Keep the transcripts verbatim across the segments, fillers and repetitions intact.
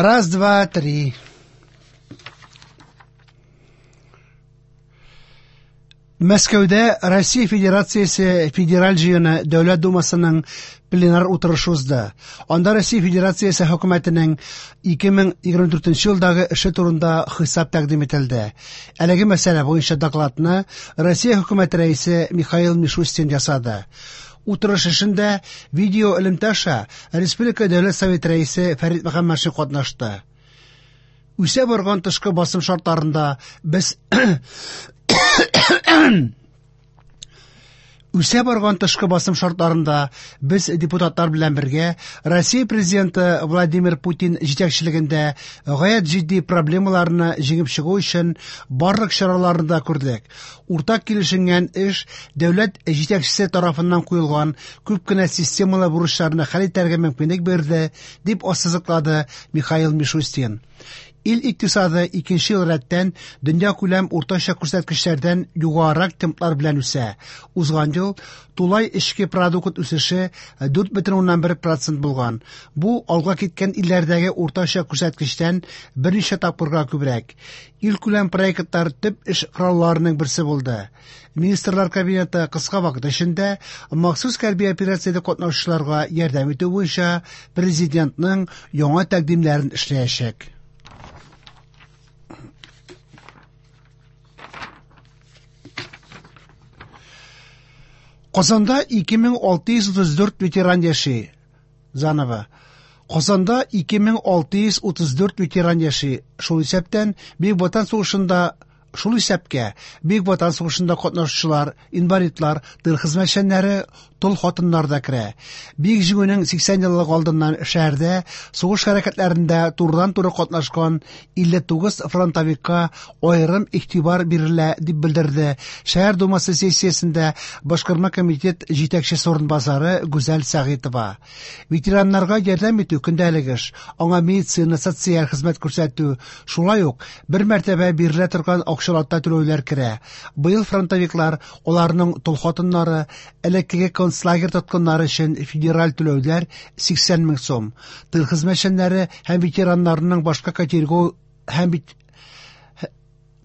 Раз, два, три. Мәскәүдә Россия Федерациясе Федераль җыены Дәүләт Думасының пленар утырышы узды. Анда Россия Федерациясе хөкүмәтенең ике мең егерме дүртенче елдагы эше турында хисап тәкъдим ителде. Әлеге мәсьәлә буенча докладны Россия хөкүмәте рәисе Михаил Мишустин ясады. Утырыш эшендә видео элемтә аша Республика Дәүләт Советы рәисе Фәрит Мөхәммәтшин катнашты. Үсә барган тышкы басым шартларында без Үсә барган тышкы басым шартларында без депутатлар белән бергә Россия президенты Владимир Путин җитәкчелегендә гаять җитди проблемаларны җиңеп чыгу өчен барлык чараларны да күрдек. Уртак килешенгән эш дәүләт җитәкчесе тарафыннан куелган күп кенә системалы бурычларны хәл итәргә мөмкинлек бирде, дип ассызыклады Михаил Мишустин. Ил икътисады икенче ел рәттән дөнья күләм уртача күрсәткечләрдән югарырак темплар белән үсә. Узган ел тулай эчке продукт үсеше дүрт бөтен уннан бер процент булган. Бу алга киткән илләрдәге уртача күрсәткечтән берничә тапкырга күбрәк. Ил күләм проектлар төп эш коралларының берсе булды. Министрлар кабинеты кыска вакыт эчендә махсус хәрби операциядә катнашучыларга ярдәм итү буенча президентның яңа тәкъдимнәрен эшләячәк. Казанда ике мең алты йөз утыз дүрт ветеран яши. Заново. Казанда ике мең алты йөз утыз дүрт ветеран яши. Шул исәптән Бөек Ватан сугышында, шул исәпкә Бөек Ватан сугышында катнашучылар, инвалидлар, тыл хезмәтчәннәре, тол хатыннар да керә. Бөек Җиңүнең сиксән еллыгы алдыннан шәһәрдә сугыш хәрәкәтләрендә турыдан-туры катнашкан илле тугыз фронтовикка аерым игътибар бирелә, дип белдерде Шәһәр Думасы сессиясендә Башкарма комитет җитәкчесе урынбасары Гүзәл Сәгыйтова. Ветераннарга ярдәм итү көндәлек эш, аңа медицина, социаль хезмәт күрсәтү, шулай ук бер мәртәбә бирелә торган акчалата түләүләр керә. Быел фронтовиклар, аларның тол хатыннары, элеккеге концлагерь тоткыннары өчен федераль түләүләр сиксән мең сум. Тыл хезмәтчәннәре һәм ветераннарның башка категория һәм бит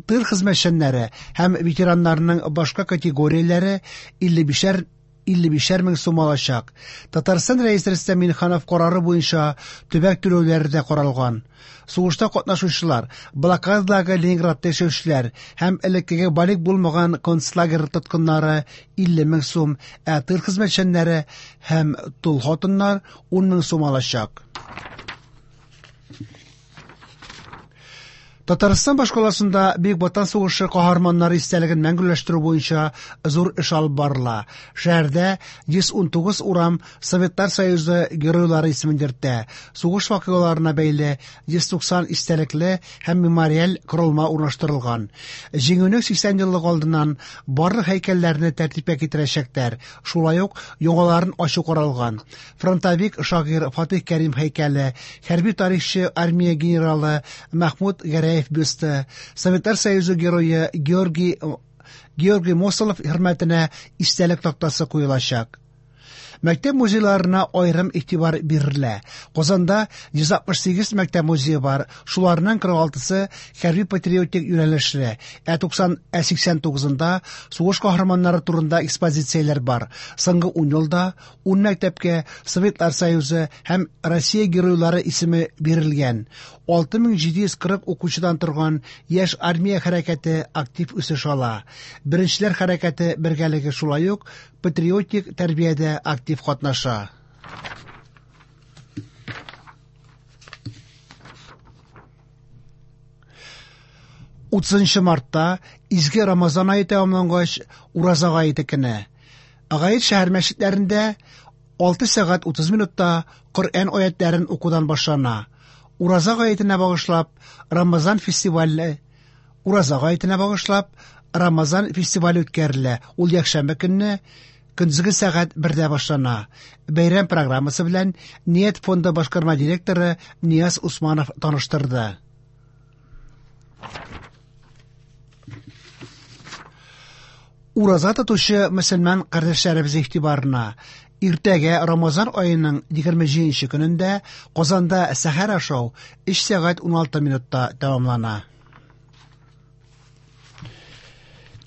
тыл хезмәтчәннәре һәм ветераннарның башка категорияләре илле бишәр, илле бишәр мең сум алачак. Татарстан Рәисе Рөстәм Миңнеханов карары буенча төбәк түләүләре дә каралган. Сугышта катнашучылар, блокададагы Ленинградта яшәүчеләр һәм элеккеге балигъ булмаган концлагерь тоткыннары илле мең сум, ә тыл хезмәтчәннәре һәм тол хатыннар ун мең сум алачак. Татарстан башкаласында Бөек Ватан сугышы каһарманнары истәлеген мәңгеләштерү буенча зур эш алып барыла. Шәһәрдә йөз ун тугыз урам Советлар Союзы геройлары исемен йөртә. Сугыш вакыйгаларына бәйле йөз туксан истәлекле һәм мемориаль корылма урнаштырылган. Җиңүнең сиксән еллыгы алдыннан барлык һәйкәлләрне тәртипкә китерәчәкләр. Шулай ук яңаларын ачу каралган. Фронтовик шагыйрь Фатих Кәрим һәйкәле, хәрби тарихчы армия генералы Мәхмүт Гәрәев бюсты, Советлар Союзы герое Георгий, Георгий Мосолов хөрмәтенә истәлек тактасы куелачак. Мәктәп музейларына аерым игътибар бирелә. Казанда йөз алтмыш сигез мәктәп музее бар, шуларның кырык алтысы хәрби патриотик юнәлешле, ә туксан, ә сиксән тугызында сугыш каһарманнары турында экспозицияләр бар. Соңгы ун елда ун мәктәпкә Советлар Союзы һәм Россия геройлары исеме бирелгән. Алты мең җиде йөз кырык укучыдан торган яшь армия хәрәкәте актив үсеш ала. Беренчеләр хәрәкәте бергәлеге шулай ук патриотик тәрбиядә актив катнаша. Утызынчы мартта изге Рамазан ае тәмамлангач, Ураза гаете көне. Гает шәһәр мәчетләрендә алты сәгать утыз минутта Коръән аятларын укудан башлана. Ураза гаетенә багышлап Рамазан фестивале, Ураза гаетенә багышлап Рамазан фестивале үткәрелә. Ул якшәмбе көнне көндезге сәгать бердә башлана. Бәйрәм программасы белән Ният фонды башкарма директоры Нияз Усманов таныштырды. Ураза тотучы мөселман кардәшләребез игътибарына: иртәгә Рамазан аеның егерме җиденче көнендә Казанда сәхәр ашау өч сәгать уналты минутта тәмамлана.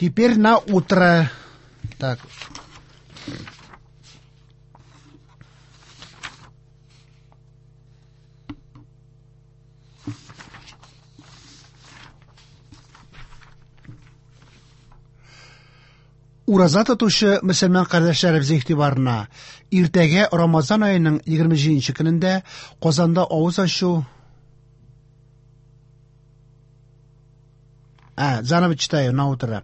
Теперь на утро. Так. Ураза тотучы мөселман кардәшләребез игътибарына: иртәгә Рамазан аеның егерме җиденче көнендә Казанда авыз ачу... А, заново читаю, на утро.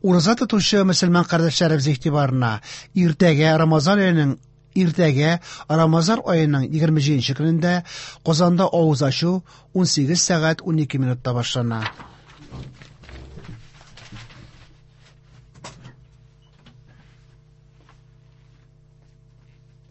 Ураза тотучы мөселман кардәшләребез игътибарына: иртәгә Рамазан аеның иртәгә Рамазан аеның егерме җиденче көнендә Казанда авыз ачу унсигез сәгать унике минутта башлана.